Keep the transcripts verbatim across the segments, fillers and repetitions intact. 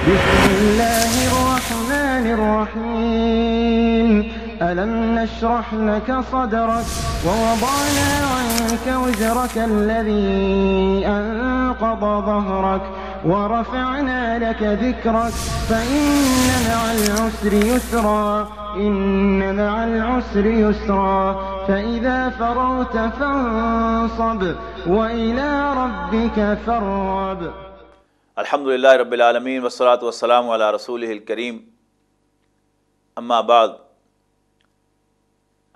بسم الله الرحمن الرحيم. ألم نشرح لك صدرك ووضعنا عنك وزرك الذي أنقض ظهرك ورفعنا لك ذكرك فإن مع العسر يسرا. إن مع العسر يسرا. فإذا فرغت فانصب وإلى ربك فارغب. الحمد لله رب العالمين والصلاة والسلام على رسوله الكريم. أما بعد.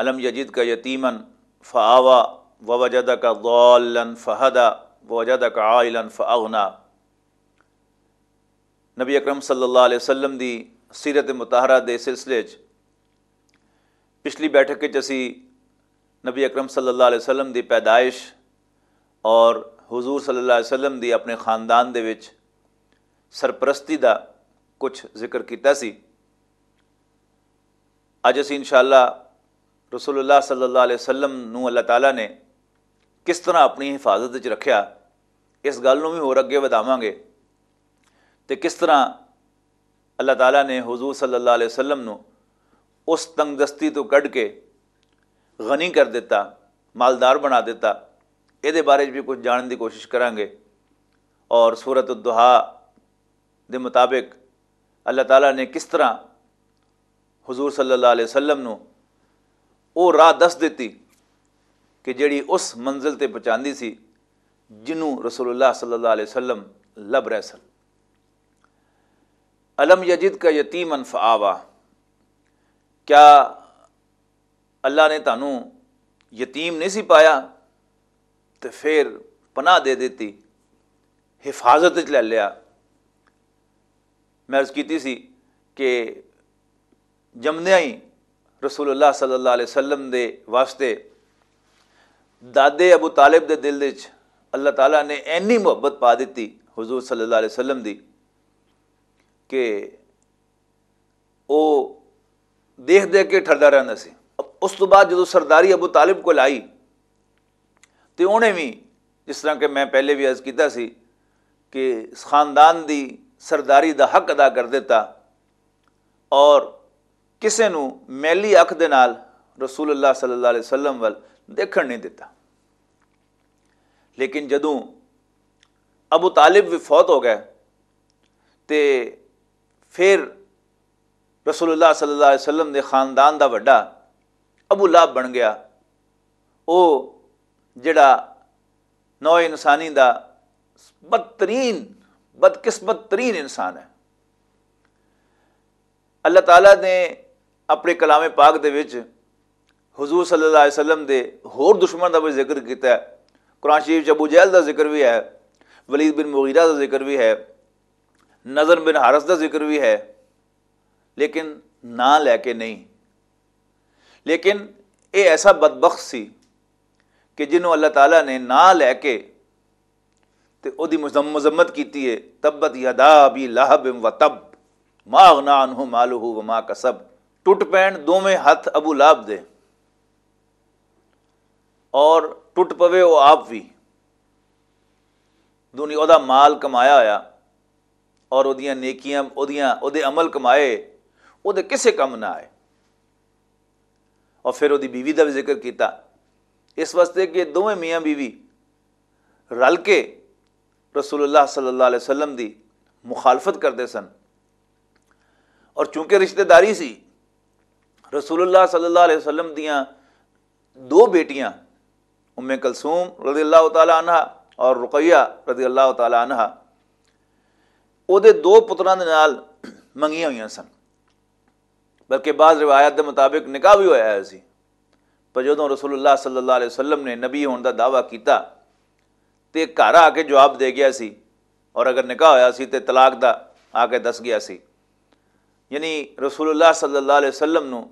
ألم يجدك يتيما فآوى ووجدك ضالا فهدى ووجدك عائلا فأغنى. نبی اکرم صلی اللہ علیہ وسلم دی سیرت مطہرہ دے سلسلے چ پچھلی بیٹھک وچ اسی نبی اکرم صلی اللہ علیہ وسلم دی پیدائش اور حضور صلی اللہ علیہ وسلم دی اپنے خاندان دے وچ سرپرستی دا کچھ ذکر کیتا سی۔ اج اسی انشاءاللہ رسول اللہ صلی اللہ علیہ وسلم نو اللہ تعالیٰ نے کس طرح اپنی حفاظت وچ رکھیا، اس گل نو بھی ہور اگے ودھاواں گے۔ تے کس طرح اللہ تعالیٰ نے حضور صلی اللہ علیہ وسلم نو اس تنگ دستی تو کڈ کے غنی کر دیتا، مالدار بنا دیتا، اے دے بارے بھی کچھ جانن دی کوشش کریں گے۔ اور سورۃ الضحیٰ دے مطابق اللہ تعالیٰ نے کس طرح حضور صلی اللہ علیہ وسلم نو او راہ دس دتی کہ جڑی اس منزل تے پہنچاندی سی جنوں رسول اللہ صلی اللہ علیہ وسلم لب رہے سن۔ الم یجد کا یتیما فآوا، کیا اللہ نے تانوں یتیم نہیں سی پایا تے پھر پناہ دے دتی، حفاظت وچ لے لیا؟ میں عرض کیتی سی کہ جمدیاں ہی رسول اللہ صلی اللہ علیہ وسلم دے واسطے دادے ابو طالب دے دل وچ اللہ تعالیٰ نے اینی محبت پا دتی حضور صلی اللہ علیہ وسلم دی کہ او دیکھ دیکھ کے ٹھردا رہندا سی۔ اس تو بعد جدوں سرداری ابو طالب کول آئی تے اونے وی، جس طرح کہ میں پہلے وی عرض کیتا سی کہ اس خاندان دی سرداری دا حق ادا کر دیتا اور کسے نوں میلی اکھ دے نال رسول اللہ صلی اللہ علیہ وسلم ول دیکھن نہیں دیتا۔ لیکن جدوں ابو طالب وی فوت ہو گئے تے پھر رسول اللہ صلی اللہ علیہ وسلم دے خاندان دا وڈا ابو لہب بن گیا۔ او جڑا نوع انسانی دا بدترین، بدقسمت ترین انسان ہے۔ اللہ تعالیٰ نے اپنے کلام پاک دے وچ حضور صلی اللہ علیہ وسلم دے ہور دشمن دا بھی ذکر کیتا ہے۔ قرآن شریف چ ابو جہل دا ذکر بھی ہے، ولید بن مغیرہ دا ذکر بھی ہے، نضر بن حارث دا ذکر بھی ہے، لیکن نہ لے کے نہیں۔ لیکن اے ایسا بدبخت سی کہ جنہوں اللہ تعالیٰ نے نہ لے کے تے او دی مذم-، مذمت کیتی ہے، تبت یدا ابی لہب و تب، ما اغنا عنہ مالہ و ما کسب۔ ٹوٹ پین دوویں ہتھ ابو لہب دے اور ٹوٹ پوے او آپ وی۔ دنیا دا مال کمایا ہویا اور اودیاں نیکیاں، اودیاں، اودے عمل کمائے، اودے کسے کم نہ آئے۔ اور پھر اودی بیوی دا بھی ذکر کیتا، اس واسطے کہ دوویں میاں بیوی رل کے رسول اللہ صلی اللہ علیہ وسلم دی مخالفت کردے سن۔ اور چونکہ رشتہ داری سی، رسول اللہ صلی اللہ علیہ وسلم دیاں دو بیٹیاں، ام کلثوم رضی اللہ تعالیٰ عنہا اور رقیہ رضی اللہ تعالیٰ عنہا، او دے دو پتراں دے نال منگیاں ہوئیاں سن، بلکہ بعض روایات دے مطابق نکاح بھی ہویا ہے سی۔ پر جدوں رسول اللہ صلی اللہ علیہ وسلم نے نبی ہون دا دعویٰ کیتا تے گھر آ کے جواب دے گیا سی، اور اگر نکاح ہویا سی تے طلاق دا آ کے دس گیا سی۔ یعنی رسول اللہ صلی اللہ علیہ وسلم نو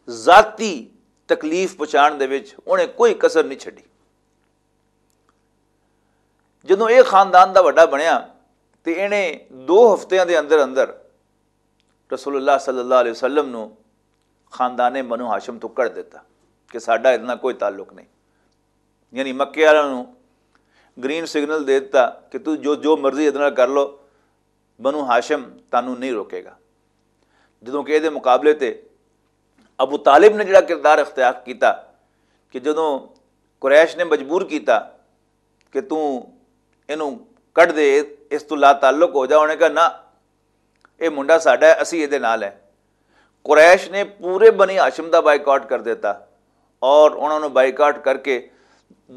ذاتی تکلیف پہنچان دے وچ انہیں کوئی کسر نہیں چھڈی۔ جدوں اے خاندان دا وڈا بنیا تے انہیں دو ہفتیاں دے اندر اندر رسول اللہ صلی اللہ علیہ وسلم نو خاندان بنو ہاشم تو کڑ دیتا کہ ساڈا اتنا کوئی تعلق نہیں۔ یعنی مکے والوں نو گرین سگنل دے دیتا کہ تو جو، جو مرضی اتنا کر لو، بنو ہاشم تانوں نہیں روکے گا۔ جدوں کہ ایہدے مقابلے تے ابو طالب نے جڑا کردار اختیار کیتا کہ جدوں قریش نے مجبور کیتا کہ توں اینوں کڈ دے، اس تو لا تعلق ہو جا، انہیں کہا، نہ، اے منڈا ساڈا ہے، اسی ایہدے نال ہے۔ قریش نے پورے بنی ہاشم دا بائیکاٹ کر دیتا اور انہاں نوں بائیکاٹ کر کے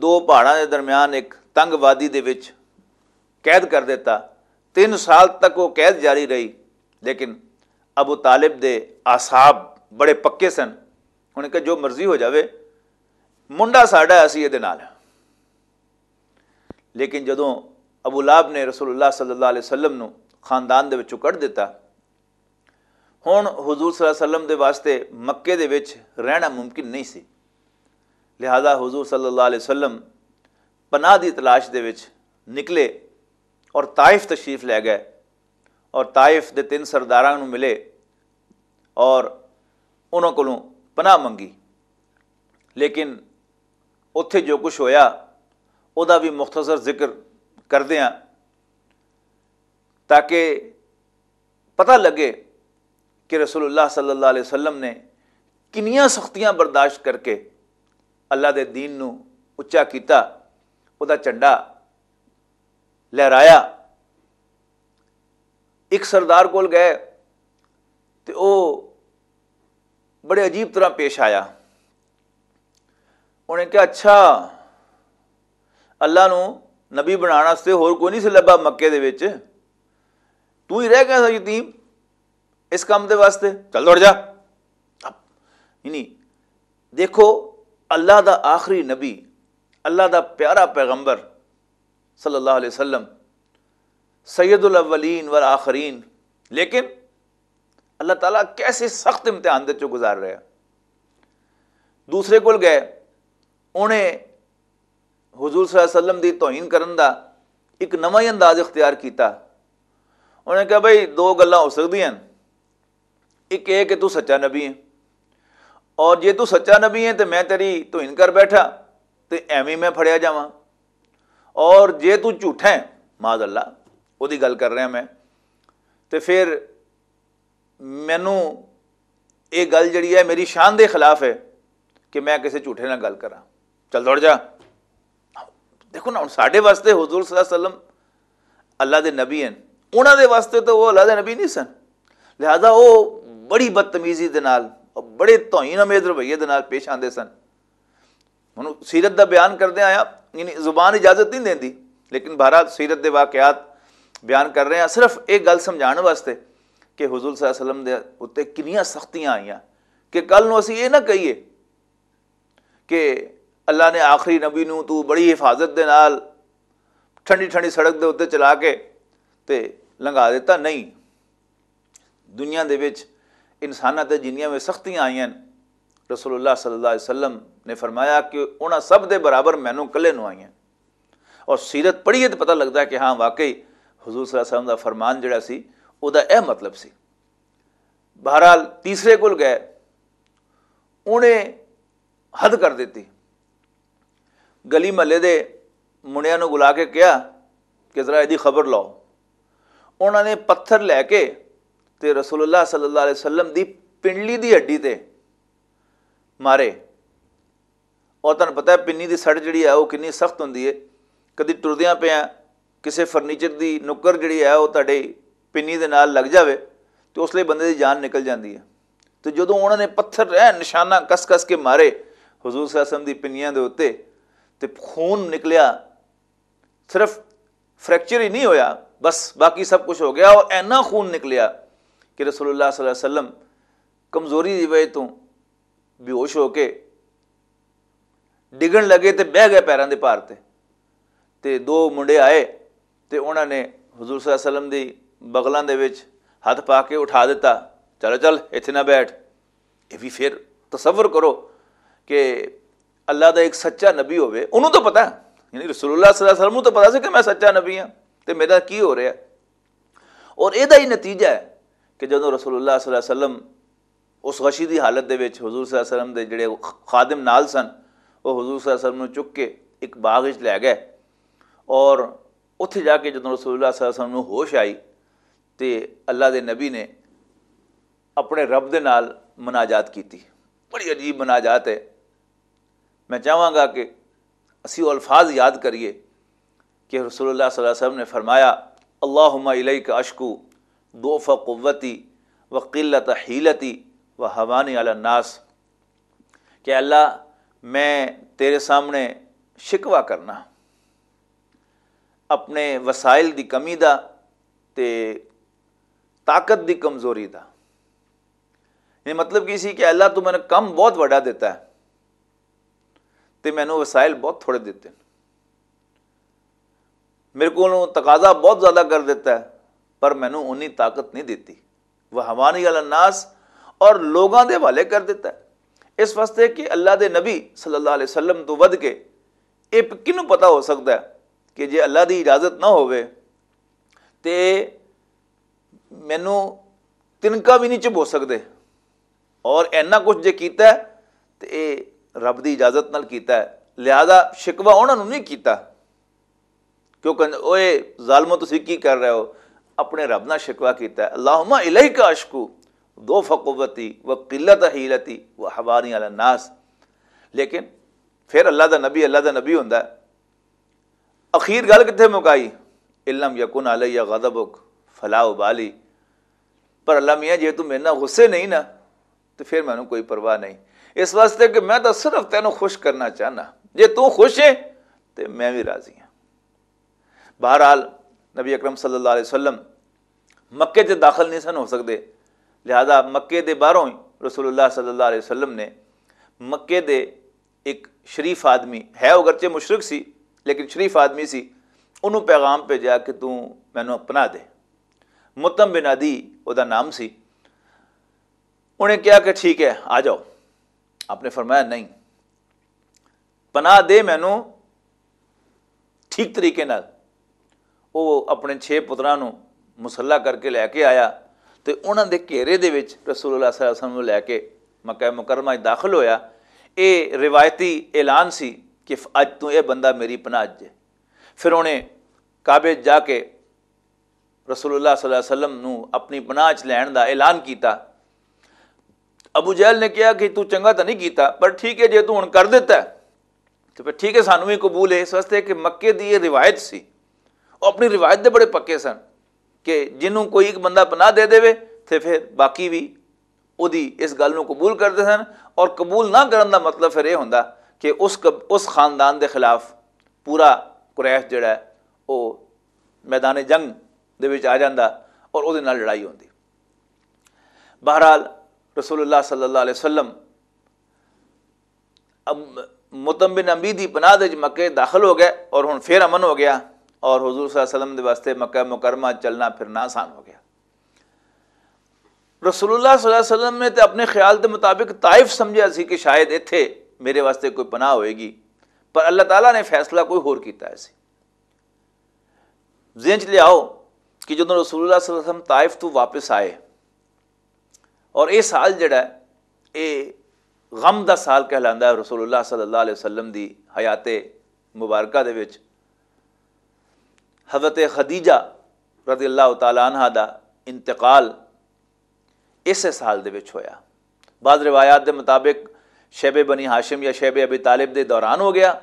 دو پہاڑاں دے درمیان ایک تنگ وادی دے وچ قید کر دیتا۔ تین سال تک وہ قید جاری رہی، لیکن ابو طالب دے اعصاب بڑے پکے سن۔ انہیں کہا، جو مرضی ہو جاوے، منڈا ساڈا ہے، اسی ایہدے نال ہے۔ لیکن جدوں ابو لہب نے رسول اللہ صلی اللہ علیہ وسلم نو خاندان دے وچوں کڈ دتا، ہن حضور صلی اللہ علیہ وسلم دے واسطے مکے دے وچ رہنا ممکن نہیں سی۔ لہذا حضور صلی اللہ علیہ وسلم پناہ دی تلاش دے وچ نکلے اور طائف تشریف لے گئے اور طائف دے تین سرداراں نوں ملے اور انہاں کولوں پناہ منگی۔ لیکن اتھے جو کچھ ہویا، او دا بھی مختصر ذکر کردے ہاں، تاکہ پتہ لگے کہ رسول اللہ صلی اللہ علیہ وسلم نے کنیاں سختیاں برداشت کر کے اللہ دے دین نو اچا کیتا، او دا جھنڈا لہرایا۔ ایک سردار کول گئے تے او بڑے عجیب طرح پیش آیا۔ انہیں کہا، اچھا، اللہ نو نبی بنانا واسطے ہور کوئی نہیں سی لبا مکے دے وچ، تو ہی رہ گیا سا یتیم اس کام دے واسطے، چل دوڑ جا۔ یعنی دیکھو، اللہ دا آخری نبی، اللہ دا پیارا پیغمبر صلی اللہ علیہ وسلم، سید الاولین والآخرین، لیکن اللہ تعالیٰ کیسے سخت امتحان دے چوں گزار رہا۔ دوسرے کول گئے، انہیں حضور صلی اللہ علیہ وسلم دی توہین کرن دا ایک نواں ہی انداز اختیار کیتا۔ انہیں کہا، بھائی، دو گلاں ہو سکدیاں ہن، ایک یہ کہ تو سچا نبی ہے، اور جے تو سچا نبی ہے تے میں تیری توہین کر بیٹھا تے ایویں میں پھڑیا جاواں، اور جے تو جھوٹا ہے، معاذ اللہ، وہ دی گل کر رہا میں، تے پھر مینوں یہ گل جڑی ہے میری شان دے خلاف ہے کہ میں کسی جھوٹے نال گل کراں۔ چل دوڑ جا۔ دیکھو نا، ہن ساڈے واسطے حضور صلی اللہ علیہ وسلم اللہ دے نبی ہیں، انہاں دے واسطے تو وہ اللہ دے نبی نہیں سن۔ لہذا وہ بڑی بدتمیزی دے نال، بڑے توہین آمیز رویے دے نال پیش آندے سن۔ ہن سیرت دا بیان کردے آیا، یعنی زبان اجازت نہیں دیندی، لیکن بہرحال سیرت دے واقعات بیان کر رہے ہیں۔ صرف ایک گل سمجھان واسطے کہ حضور صلی اللہ علیہ وسلم دے اُتے کنیاں سختیاں آئیاں کہ کل نوں اسی یہ نہ کہیے کہ اللہ نے آخری نبی نوں تو بڑی حفاظت دے نال ٹھنڈی ٹھنڈی سڑک دے اُتے چلا کے تے لنگھا دیتا۔ نہیں، دنیا دے وچ انساناں تے جنیاں وی سختیاں آئیاں، رسول اللہ صلی اللہ علیہ وسلم نے فرمایا کہ انہاں سب دے برابر مینوں کلے نوں آئیاں۔ اور سیرت پڑھیے تو پتہ لگدا ہے کہ ہاں، واقعی حضور صلی اللہ علیہ وسلم دا فرمان جڑا سی، او دا اے مطلب سی۔ بہرحال، تیسرے کول گئے، انہیں حد کر دتی۔ گلی محلے دے منڈیاں نوں بلا کے کہا کہ ذرا ایدی خبر لاؤ۔ انہاں نے پتھر لے کے تے رسول اللہ صلی اللہ علیہ وسلم دی پنڈلی دی ہڈی تے مارے۔ اور تہانوں پتہ ہے، پنی دی سڑ جڑی ہے، وہ کنی سخت ہوندی ہے۔ کدی ٹردیاں پے آ، کسے فرنیچر دی نکر جڑی ہے، وہ تہاڈے پنی دے نال لگ جاوے، تے اس لئی بندے دی جان نکل جاندی ہے۔ تے جدوں انہاں نے پتھر، اے، نشانہ کس کس کے مارے حضور صلی اللہ علیہ وسلم دی پنیاں دے اُتے، تے خون نکلیا، صرف فریکچر ہی نہیں ہویا، بس باقی سب کچھ ہو گیا، اور اینا خون نکلیا کہ رسول اللہ صلی اللہ علیہ وسلم کمزوری دی وجہ تو بے ہوش ہو کے ڈگن لگے تے بہ گئے پیراں دے بھار تے۔ تے دو منڈے آئے تے انہاں نے حضور صلی اللہ علیہ وسلم دی بغلاں دے وچ ہتھ پا کے اٹھا دتا، چلو چل، ایتھے نہ بیٹھ۔ یہ بھی پھر تصور کرو کہ اللہ دا ایک سچا نبی ہوئے، انہوں تو پتا ہے، یعنی رسول اللہ صلی اللہ علیہ وسلم نوں تو پتا سی کہ میں سچا نبی ہاں تے میرا کی ہو رہا ہے۔ اور یہ ہی نتیجہ ہے کہ جدوں رسول اللہ صلی اللہ علیہ وسلم اس غشی دی حالت دے وچ حضور صلی اللہ علیہ وسلم دے جڑے خادم نال سن، وہ حضور صلی اللہ علیہ وسلم نوں چک کے ایک باغ وچ لے گئے، اور اتھے جا کے جدوں رسول اللہ صلی اللہ علیہ وسلم نوں ہوش آئی تے اللہ دے نبی نے اپنے رب دے نال مناجات کیتی۔ بڑی عجیب مناجات ہے۔ میں چاہواں گا کہ اسی او الفاظ یاد کریے کہ رسول اللہ صلی اللہ علیہ وسلم نے فرمایا، "اللہم الیک اشکو ضعف قوتی و قلت حیلتی و حوانی علی الناس۔" کہ اللہ، میں تیرے سامنے شکوہ کرنا اپنے وسائل دی کمی دا تے طاقت دی کمزوری دا۔ یعنی مطلب کی سی کہ اللہ، تو میں نے کم بہت وڈا دیتا ہے تے مینوں وسائل بہت تھوڑے دیتے ہیں۔ میرے کو تقاضا بہت زیادہ کر دیتا ہے، پر مینوں انی طاقت نہیں دیتی۔ وہ حوانی علی الناس، اور لوگاں دے حوالے کر دیتا ہے۔ اس واسطے کہ اللہ دے نبی صلی اللہ علیہ وسلم تو ود کے اے پ-، کنوں پتہ ہو سکدا ہے کہ جے اللہ دی اجازت نہ ہووے تے مینوں تنکا بھی نہیں چبو سکدے۔ اور اینا کچھ جے کیتا ہے تے اے رب دی اجازت نال کیتا ہے، لہذا شکوہ انہاں نوں نہیں کیتا۔ کیونکہ اوے ظالمو، تسی کی کر رہے ہو؟ اپنے رب نال شکوہ کیتا ہے، "اللہم الیک اشکو ضعف قوتی و قلت حیلتی و حوانی علی الناس۔" لیکن پھر اللہ دا نبی، اللہ دا نبی ہوندا ہے۔ اخیر گل کتھے مکائی؟ "ان لم یکن علی غضبک فلا ابالی۔" پر اللہ میاں، جے تو میرے نال غصے نہیں نا، تو پھر مینوں کوئی پرواہ نہیں۔ اس واسطے کہ میں تو صرف تینوں خوش کرنا چاہنا۔ جے تو خوش ہے، تو میں بھی راضی ہاں۔ بہرحال، نبی اکرم صلی اللہ علیہ وسلم مکے تے داخل نہیں سن ہو سکدے، لہذا مکے دے باہروں ہی رسول اللہ صلی اللہ علیہ وسلم نے مکے دے ایک شریف آدمی ہے، اگرچہ مشرک سی، لیکن شریف آدمی سی، انہوں پیغام بھیجا کہ تو مینوں پناہ دے۔ متم بن عدی او دا نام سی۔ انہیں کہا کہ ٹھیک ہے، آ جاؤ۔ آپ نے فرمایا، نہیں، پناہ دے مینوں ٹھیک طریقے نال۔ وہ اپنے چھ پتراں نوں مسلح کر کے لے کے آیا تے انہاں دے گھیرے دے وچ رسول اللہ صلی اللہ علیہ وسلم نوں لے کے مکہ مکرمہ وچ داخل ہویا۔ اے روایتی اعلان سی کہ اج تو اے بندہ میری پناہ چ ہے۔ پھر انہیں کعبے جا کے رسول اللہ صلی اللہ علیہ وسلم نوں اپنی پناہ چ لین دا اعلان کیتا۔ ابو جہل نے کہا کہ تو چنگا تو نہیں کیتا، پر ٹھیک ہے، جے تو ہن کر دیتا ہے تو پھر ٹھیک ہے، سانوں بھی قبول ہے، اس واسطے کہ مکے دی یہ روایت سی۔ وہ اپنی روایت دے بڑے پکے سن کہ جنوں کوئی ایک بندہ پناہ دے دے تے پھر باقی بھی اودی اس گل نوں قبول کردے سن۔ اور قبول نہ کرن دا مطلب پھر یہ ہوندا کہ اس ق-، اس خاندان دے خلاف پورا قریش جڑا ہے، وہ میدان جنگ دے وچ آ جاندا اور اودے نال لڑائی ہوندی۔ بہرحال، رسول اللہ صلی اللہ علیہ وسلم اب متم بن عمبی دی پناہ دے وچ مکے داخل ہو گئے اور ہن پھر امن ہو گیا، اور حضور صلی اللہ علیہ وسلم دے واسطے مکہ مکرمہ چلنا پھرنا آسان ہو گیا۔ رسول اللہ صلی اللہ علیہ وسلم نے تے اپنے خیال دے مطابق طائف سمجھیا سی کہ شاید ایتھے میرے واسطے کوئی پناہ ہوئے گی، پر اللہ تعالیٰ نے فیصلہ کوئی ہور کیتا ہے سی۔ ذہن چ لیاؤ کہ جدوں رسول اللہ صلی اللہ علیہ وسلم طائف تو واپس آئے، اور یہ سال جڑا ہے، یہ غم دا سال کہلاندا ہے۔ رسول اللہ صلی اللہ علیہ وسلم دی حیات مبارکہ دے وچ حضرت خدیجہ رضی اللہ تعالیٰ عنہ دا انتقال اسے سال دے وچ ہویا۔ بعض روایات دے مطابق شیب بنی ہاشم یا شیب ابی طالب دے دوران ہو گیا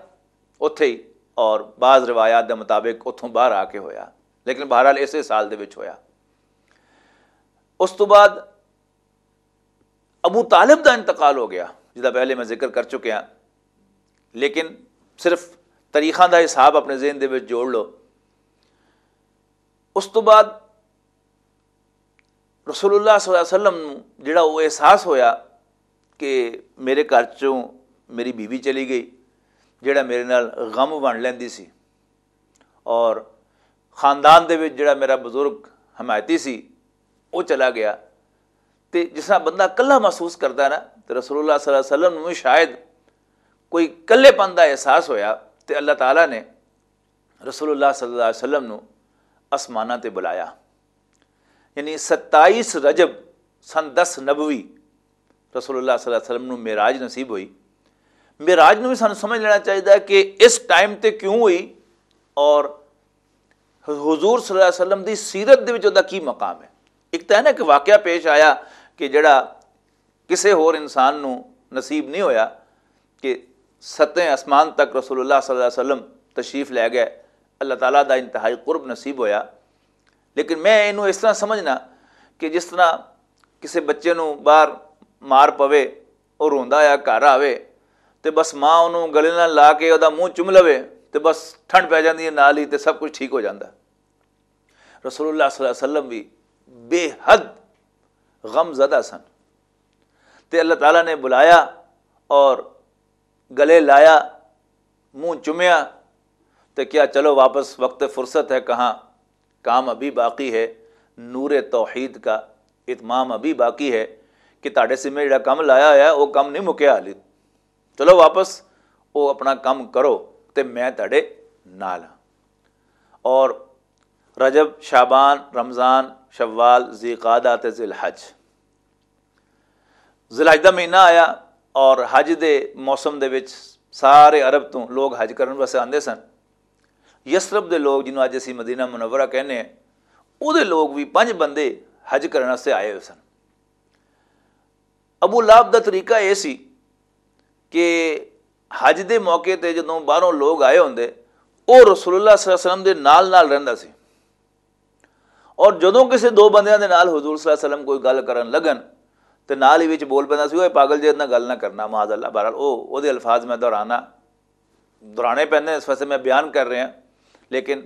اتھے ہی، اور بعض روایات دے مطابق اتھوں باہر آ کے ہویا، لیکن بہرحال اسے سال دے وچ ہویا۔ اس تو بعد ابو طالب دا انتقال ہو گیا، جدا پہلے میں ذکر کر چکیا، لیکن صرف تاریخاں دا حساب اپنے ذہن دے وچ جوڑ لو۔ اس تو بعد رسول اللہ صلی اللہ علیہ وسلم نوں جڑا وہ احساس ہویا کہ میرے گھر چوں میری بیوی چلی گئی، جڑا میرے نال غم ونڈ لیندی سی، اور خاندان دے وچ جڑا میرا بزرگ حمایتی سی، وہ چلا گیا۔ تے جس طرح بندہ کلہا محسوس کردا ہے نا، تے رسول اللہ صلی اللہ علیہ وسلم نوں شاید کوئی کلے پن دا احساس ہویا، تے اللہ تعالیٰ نے رسول اللہ صلی اللہ علیہ وسلم نوں آسماناں تے بلایا۔ یعنی ستائیس رجب سن دس نبوی رسول اللہ صلی اللہ علیہ وسلم نوں معراج نصیب ہوئی۔ معراج نوں بھی سانوں سمجھ لینا چاہیے کہ اس ٹائم تے کیوں ہوئی اور حضور صلی اللہ علیہ وسلم دی سیرت دے وچ ادا کی مقام ہے؟ ایک تاں ہے نا کہ واقعہ پیش آیا کہ جڑا کسے ہور انسان نوں نصیب نہیں ہویا کہ ستیں آسمان تک رسول اللہ صلی اللہ علیہ وسلم تشریف لے گئے، اللہ تعالیٰ دا انتہائی قرب نصیب ہویا۔ لیکن میں اینوں اس طرح سمجھنا کہ جس طرح کسے بچے نوں باہر مار پوے، او روندا آیا گھر آوے تے بس ماں اونوں گلے نال لا کے اودا منہ چم لوے تے بس ٹھنڈ پے جاندی ہے، نال ہی تے سب کچھ ٹھیک ہو جاندا۔ رسول اللہ صلی اللہ علیہ وسلم بھی بے حد غم زدہ سن تے اللہ تعالیٰ نے بلایا اور گلے لایا، منہ چومیا تے کیا، چلو واپس، وقت فرصت ہے، کہاں کام ابھی باقی ہے، نور توحید کا اتمام ابھی باقی ہے کہ تہاڈے سے میں جڑا کم لایا ہوا ہے وہ کم نہیں مکیا حالی۔ چلو واپس، وہ اپنا کم کرو تے میں تہاڈے نال ہاں۔ اور رجب، شعبان، رمضان، شوال، ذی قعدہ تے ذی الحج، ذی الحج دا مہینہ آیا اور حج دے موسم دے وچ سارے عرب توں لوگ حج کرن واسطے آندے سن۔ یثرب دے لوگ، جنہوں اج اسی مدینہ منورہ کہنے ہیں، او دے لوگ بھی پنج بندے حج کرن واسطے آئے ہوئے سن۔ ابو لہب دا طریقہ اے سی کہ حج دے موقع تے جدوں باہروں لوگ آئے ہوندے، او رسول اللہ صلی اللہ علیہ وسلم دے نال نال رہندا سی۔ اور جدوں کسے دو بندیاں دے نال حضور صلی اللہ علیہ وسلم کوئی گل کرن لگن تے نال ہی وچ بول پیندا سی، "اوئے پاگل جے، اتنا گل نہ کرنا، معاذ اللہ۔" بہرحال او، او دے الفاظ میں دہرانا، دہرانے پیندے، اس واسطے میں بیان کر رہا، لیکن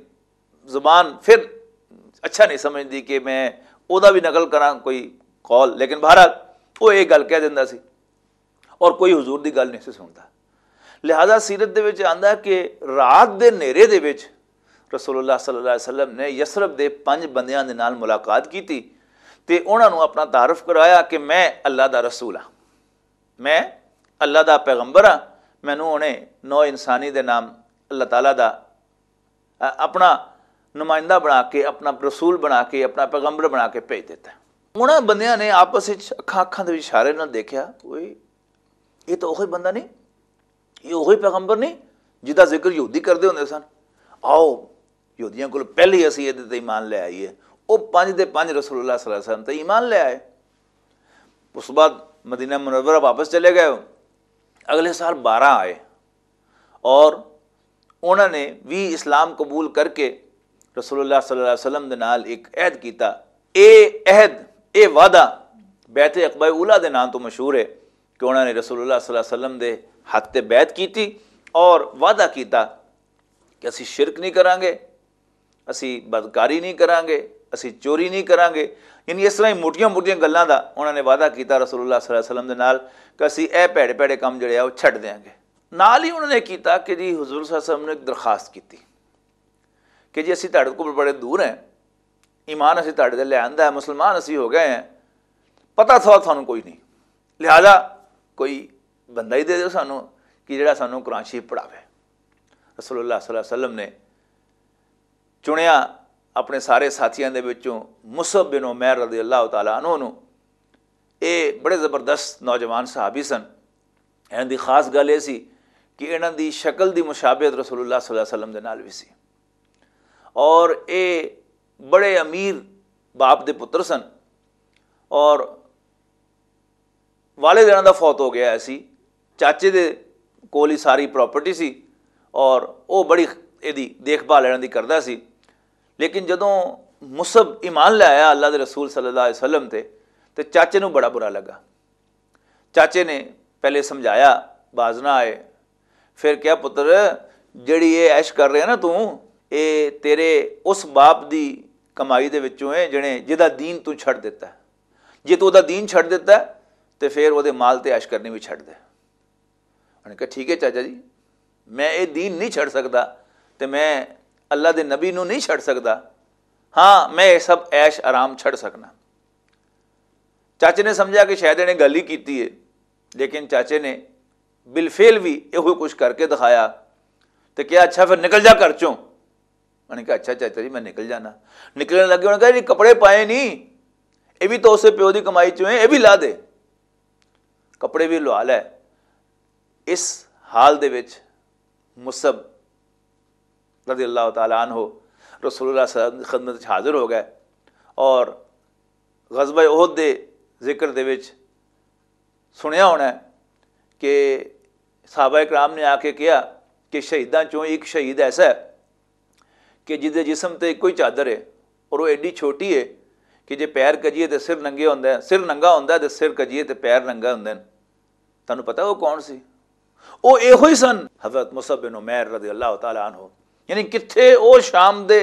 زبان پھر اچھا نہیں سمجھدی کہ میں او دا بھی نقل کراں کوئی قول، لیکن بہرحال او یہ گل کہہ دیندا سی اور کوئی حضور دی گل نہیں سی سندا۔ لہذا سیرت دے وچ آندا کہ رات دے نیرے دے وچ رسول اللہ صلی اللہ علیہ وسلم نے یثرب دے پنج بندیاں دے نال ملاقات کیتی تے انہاں نوں اپنا تعارف کرایا کہ میں اللہ دا رسول ہاں، میں اللہ دا پیغمبر ہاں۔ مینوں انہیں نو انسانی دے نام اللہ تعالیٰ دا اپنا نمائندہ بنا کے، اپنا رسول بنا کے، اپنا پیغمبر بنا کے بھیج دیتا ہے۔ انہاں بندیاں نے آپس وچ اکھاں اکھاں دے وچ اشارے نال دیکھیا، اوئے، یہ تو اوہی بندہ نہیں، یہ اوہی پیغمبر نہیں جدا ذکر یہودی کردے ہوندے سن۔ آؤ، یہودیاں کول پہلے ہی اسی یہ تے ایمان لے آئیے۔ وہ پنج دے پنج رسول اللہ صلی اللہ علیہ وسلم تے ایمان لے آئے۔ اس بعد مدینہ منورہ واپس چلے گئے۔ اگلے سال بارہ آئے اور انہاں نے بھی اسلام قبول کر کے رسول اللہ صلی اللہ علیہ وسلم دے نال ایک عہد کیتا۔ اے عہد، اے وعدہ بیعت عقبہ اولا دے نام تو مشہور ہے کہ انہاں نے رسول اللہ صلی اللہ علیہ وسلم دے ہاتھ تے بیعت کیتی اور وعدہ کیتا کہ اسی شرک نہیں کرانگے، اسی بدکاری نہیں کرانگے، اسی چوری نہیں کرانگے۔ یعنی اس طرح ہی موٹیاں موٹیاں گلاں دا انہاں نے وعدہ کیتا رسول اللہ صلی اللہ علیہ وسلم دے نال کہ اسی اے پیڑے پیڑے کم جڑے آ وہ چھڈ دیاں گے۔ نال ہی انہوں نے کیتا کہ جی حضور صلی اللہ علیہ وسلم نے ایک درخواست کیتی کہ جی اسی تہاڈے کول بڑے دور ہیں، ایمان اسی تہاڈے تے لے آندا ہے، مسلمان اسی ہو گئے ہیں، پتہ تھا تھانوں کوئی نہیں، لہذا کوئی بندہ ہی دے دیو سانوں کہ جڑا سانوں قرآن شریف پڑھاوے۔ رسول اللہ صلی اللہ علیہ وسلم نے چنیا اپنے سارے ساتھیاں دے وچوں مصعب بن عمیر رضی اللہ تعالیٰ عنہ نوں۔ اے بڑے زبردست نوجوان صحابی سن۔ انہاں دی خاص گل اے سی کہ انہاں دی شکل دی مشابہت رسول اللہ صلی اللہ علیہ وسلم دے نال وی سی، اور اے بڑے امیر باپ دے پتر سن، اور والد انہاں دا فوت ہو گیا سی۔ چاچے دے کول ہی ساری پراپرٹی سی، اور او بڑی ایدی دیکھ بھال انہاں دی کردا سی۔ لیکن جدوں مصعب ایمان لے آیا اللہ دے رسول صلی اللہ علیہ وسلم تے، تے چاچے نوں بڑا برا لگا۔ چاچے نے پہلے سمجھایا، باز نہ آئے۔ پھر کہیا، "پتر، جڑی اے عیش کر رہے نا توں، اے تیرے اس باپ دی کمائی دے وچوں ہے جنے، جدا دین توں چھڈ دیتا ہے۔ جے تو دا دین چھڈ دیتا ہے، تے پھر او دے مال تے عیش کرنی بھی چھڈ دے۔" انہوں نے کہا، "ٹھیک ہے چاچا جی، میں اے دین نہیں چھڈ سکدا، تے میں اللہ دے نبی نوں نہیں چھڈ سکدا۔ ہاں، میں اے سب عیش آرام چھڈ سکنا۔" چاچے نے سمجھا کہ شاید انہیں گل ہی کیتی ہے، لیکن چاچے نے بالفعل بھی یہ کچھ کر کے دکھایا۔ تے کہا، "اچھا، پھر نکل جا گھر چوں۔" انہوں نے کہا، "اچھا چاچا جی، میں نکل جانا۔" نکلنے لگے، انہوں نے کہا، "جی، کپڑے پائے نہیں، یہ بھی تو اسے پیو دی کمائی چوں ہیں، یہ بھی لا دے۔" کپڑے بھی لوا لے۔ اس حال دے وچ مصعب رضی اللہ تعالیٰ عنہ رسول اللہ صلی اللہ علیہ وسلم کی خدمت وچ حاضر ہو گئے اور غزوہ احد دے ذکر دے وچ سنیا ہونا ہے کہ صحابہ کرام نے آ کے کہا کہ شہیداں چوں ایک شہید ایسا ہے کہ جس دے جسم تے کوئی چادر ہے اور وہ ایڈی چھوٹی ہے کہ جے پیر کجیے تے سر ننگے ہوندا ہے، سر ننگا ہوندا ہے تے سر کجیے تے پیر ننگا ہوندے نے۔ تانوں پتہ وہ کون سی؟ وہ ایہو ہی سن، حضرت مصعب بن عمیر رضی اللہ تعالیٰ عنہ۔ یعنی کتھے وہ شام دے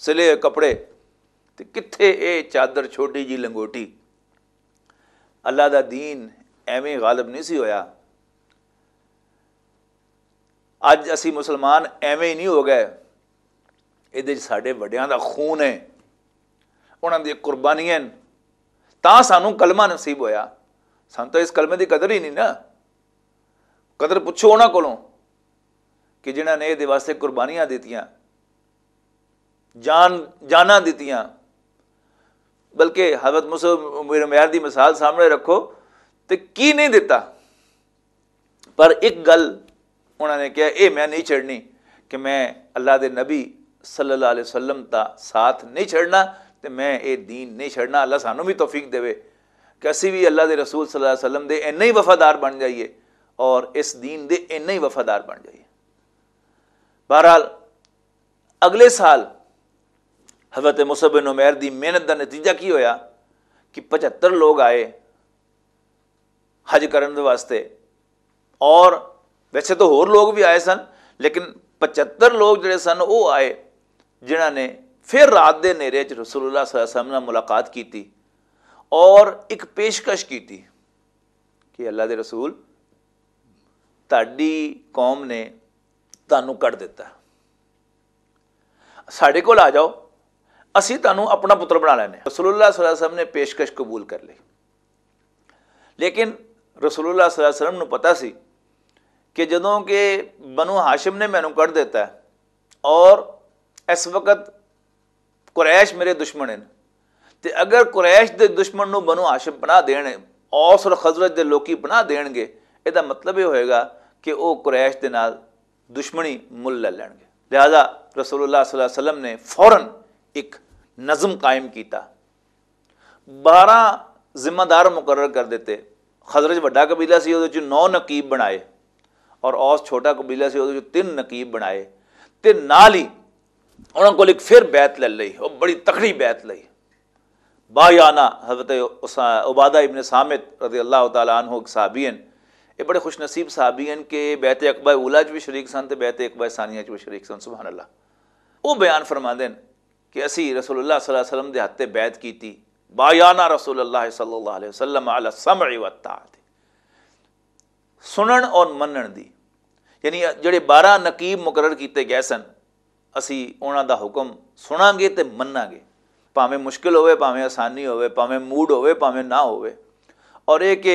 سلے کپڑے تے کتھے اے چادر چھوٹی جی لنگوٹی۔ اللہ دا دین ایویں غالب نہیں سی ہویا۔ اج اسی مسلمان ایویں ہی نہیں ہو گئے۔ یہ ساڈے وڈیاں دا خون ہے، انہاں دی قربانیاں ہیں، تاں سانوں کلمہ نصیب ہویا۔ سانوں تو اس کلمے دی قدر ہی نہیں نا۔ قدر پچھو انہاں کولوں کہ جنہاں نے یہ واسطے قربانیاں دتیاں، جان جاناں دتیاں۔ بلکہ حضرت مصعب بن عمیر دی مثال سامنے رکھو تے کی نہیں دتا۔ پر ایک گل انہاں نے کہا، اے میں نہیں چھڑنی کہ میں اللہ دے نبی صلی اللہ علیہ وسلم دا ساتھ نہیں چھڑنا تے میں اے دین نہیں چھڑنا۔ اللہ سانوں بھی توفیق دے کہ اسی بھی اللہ دے رسول صلی اللہ علیہ وسلم دے اینے ہی وفادار بن جائیے اور اس دین دے اینے ہی وفادار بن جائیے۔ بہرحال، اگلے سال حضرت مصعب بن عمیر دی محنت دا نتیجہ کی ہویا کہ پچھتر لوگ آئے حج کرن دے واسطے، اور ویسے تو ہور لوگ بھی آئے سن، لیکن پچھتر لوگ جڑے سن وہ آئے، جنہاں نے پھر رات دے نیرے چ رسول اللہ صلی اللہ علیہ وسلم نال ملاقات کیتی اور ایک پیشکش کیتی کہ اللہ دے رسول، تہاڈی قوم نے تانوں کڈ دتا، ساڈے کول آ جاؤ، اسی تانوں اپنا پتر بنا لینے۔ رسول اللہ صلی اللہ علیہ وسلم نے پیشکش قبول کر لی، لیکن رسول اللہ صلی اللہ علیہ وسلم نوں پتا سی کہ جدوں کہ بنو ہاشم نے مینوں کڈ دتا ہے اور اس وقت قریش میرے دشمن ہیں، تے اگر قریش دے دشمن نوں بنو ہاشم پناہ دین، اوس اور خزرج دے لوکی پناہ دین گے، اے دا مطلب یہ ہوئے گا کہ وہ قریش دے نال دشمنی مل لے لین گے۔ لہذا رسول اللہ صلی اللہ علیہ وسلم نے فوراً ایک نظم قائم کیتا، بارہ ذمہ دار مقرر کر دیتے۔ خزرج وڈا قبیلہ سی، اودے چ نو نقیب بنائے، اور اوس چھوٹا قبیلہ سی، اودے چ تین نقیب بنائے۔ تے نال ہی انہاں کول ایک پھر بیعت لے لئی، او بڑی تکڑی بیعت لئی۔ بایانا حضرت عبادہ ابن صامت رضی اللہ تعالیٰ عنہ ایک صحابی ہیں۔ یہ بڑے خوش نصیب صحابی ہیں کہ بیعت عقبہ اولا چ بھی شریک سن تے بیعت عقبہ ثانیہ چ بھی شریک سن۔ سبحان اللہ۔ وہ بیان فرما دین کہ اسی رسول اللہ صلی اللہ علیہ وسلم دے ہاتھ تے بیعت کیتی، بایانا رسول اللہ صلی اللہ علیہ وسلم علی السمع والطاعت، سنن اور منن دی۔ یعنی جڑے بارہ نقیب مقرر کیتے گئے سن، اسی انہاں دا حکم سناں گے تے مناں گے، بھاویں مشکل ہوئے، بھاویں آسانی ہوئے، بھاویں موڈ ہوئے، بھاویں نہ ہوئے۔ اور یہ کہ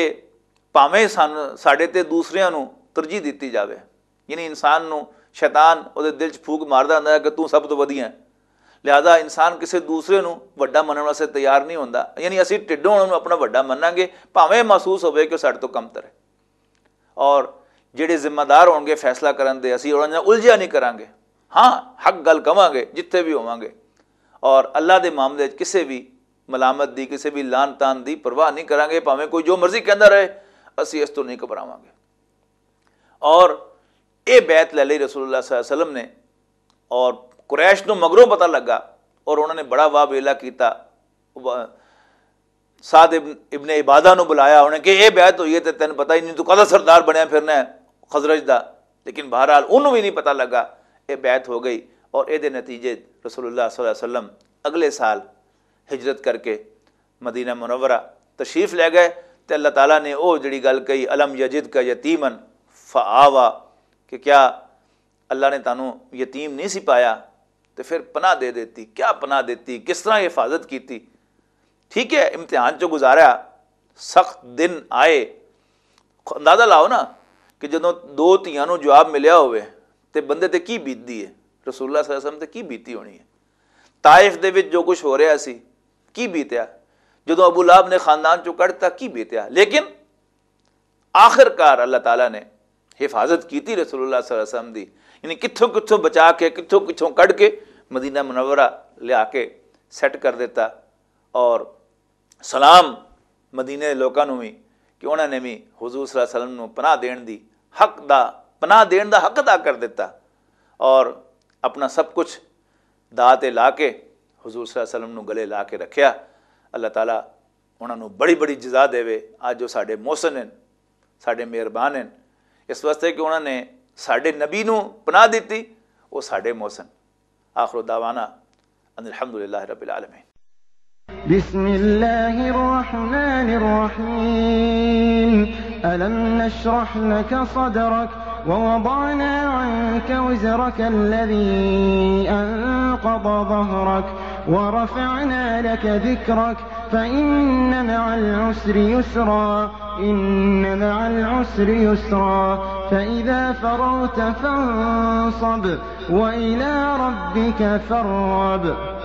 بھاویں سن ساڈے تے دوسریاں نو ترجیح دتی جاوے، یعنی انسان نو شیطان او دے دل چ پھوک ماردا ہوندا ہے کہ توں سب تو ودھیا ہے۔ لہذا انسان کسے دوسرے نو وڈا منن واسطے تیار نہیں ہوندا، یعنی اسی ٹڈوں انہاں نو اپنا وڈا مناں گے، بھاویں محسوس ہوئے کہ او ساڈے تو کمتر ہے۔ اور جڑے ذمہ دار ہون گے فیصلہ کرن دے، اسی انہاں نال الجھیا نہیں کراں گے۔ ہاں، حق گل کواں گے جتھے بھی ہوواں گے، اور اللہ دے معاملے وچ کسے بھی ملامت دی، کسے بھی لان تان دی پرواہ نہیں کراں گے، بھاویں کوئی جو مرضی کہندا رہے، اسی اس تو نہیں گھبراواں گے۔ اور اے بیعت لے لئی رسول اللہ صلی اللہ علیہ وسلم نے، اور قریش نو مگروں پتہ لگا، اور انہوں نے بڑا واہ ویلا کیتا۔ سعد ابن، ابن عبادہ نو بلایا، انہیں کہ اے بیعت ہوئی ہے تے تینوں پتہ ہی نہیں، تو کدا سردار بنیا پھرنا ہے خزرج دا۔ لیکن بہرحال انہوں بھی نہیں پتہ لگا، اے بیعت ہو گئی۔ اور اے دے نتیجے رسول اللہ صلی اللہ علیہ وسلم اگلے سال ہجرت کر کے مدینہ منورہ تشریف لے گئے۔ تے اللہ تعالیٰ نے او جڑی گل کہی، الم یجد کا یتیمن فآوا، کہ کیا اللہ نے تانوں یتیم نہیں سی پایا تے پھر پناہ دے دیتی؟ کیا پناہ دیتی، کس طرح حفاظت کیتی؟ ٹھیک ہے، امتحان چوں گزارا، سخت دن آئے۔ اندازہ لاؤ نا کہ جدوں دو تیاں نوں جواب ملیا ہوئے تے بندے تے کی بیتدی ہے، رسول اللہ صلی اللہ علیہ وسلم تے کی بیتی ہونی ہے۔ طائف دے وچ جو کچھ ہو رہا سی، کی بیتیا؟ جدوں ابو لہب نے خاندان چوں کڈ دتا، کی بیتیا؟ لیکن آخر کار اللہ تعالیٰ نے حفاظت کیتی رسول اللہ صلی اللہ علیہ وسلم دی، یعنی کتھوں کتھوں بچا کے، کتھوں کتھوں کڈ کے مدینہ منورہ لیا کے سیٹ کر دیتا۔ اور سلام مدینے دے لوکاں نوں وی کہ انہاں نے وی حضور صلی اللہ علیہ وسلم نوں پناہ دین دی حق دا، پناہ دین دا حق ادا کر دیتا، اور اپنا سب کچھ داء تے لا کے حضور صلی اللہ علیہ وسلم نوں گلے لا کے رکھیا۔ اللہ تعالیٰ انہاں نوں بڑی بڑی جزا دے۔ اج جو ساڈے محسن ہیں، ساڈے مہربان ہیں، اس واسطے کہ انہاں نے ساڈے نبی نوں پناہ دتی، وہ ساڈے محسن۔ آخر دعوانا ان الحمدللہ رب العالمین۔ بسم الله الرحمن الرحيم. ألم نشرح لك صدرك ووضعنا عنك وزرك الذي أنقض ظهرك ورفعنا لك ذكرك فإن مع العسر يسرا، إن مع العسر يسرا، فإذا فرغت فانصب وإلى ربك فارغب.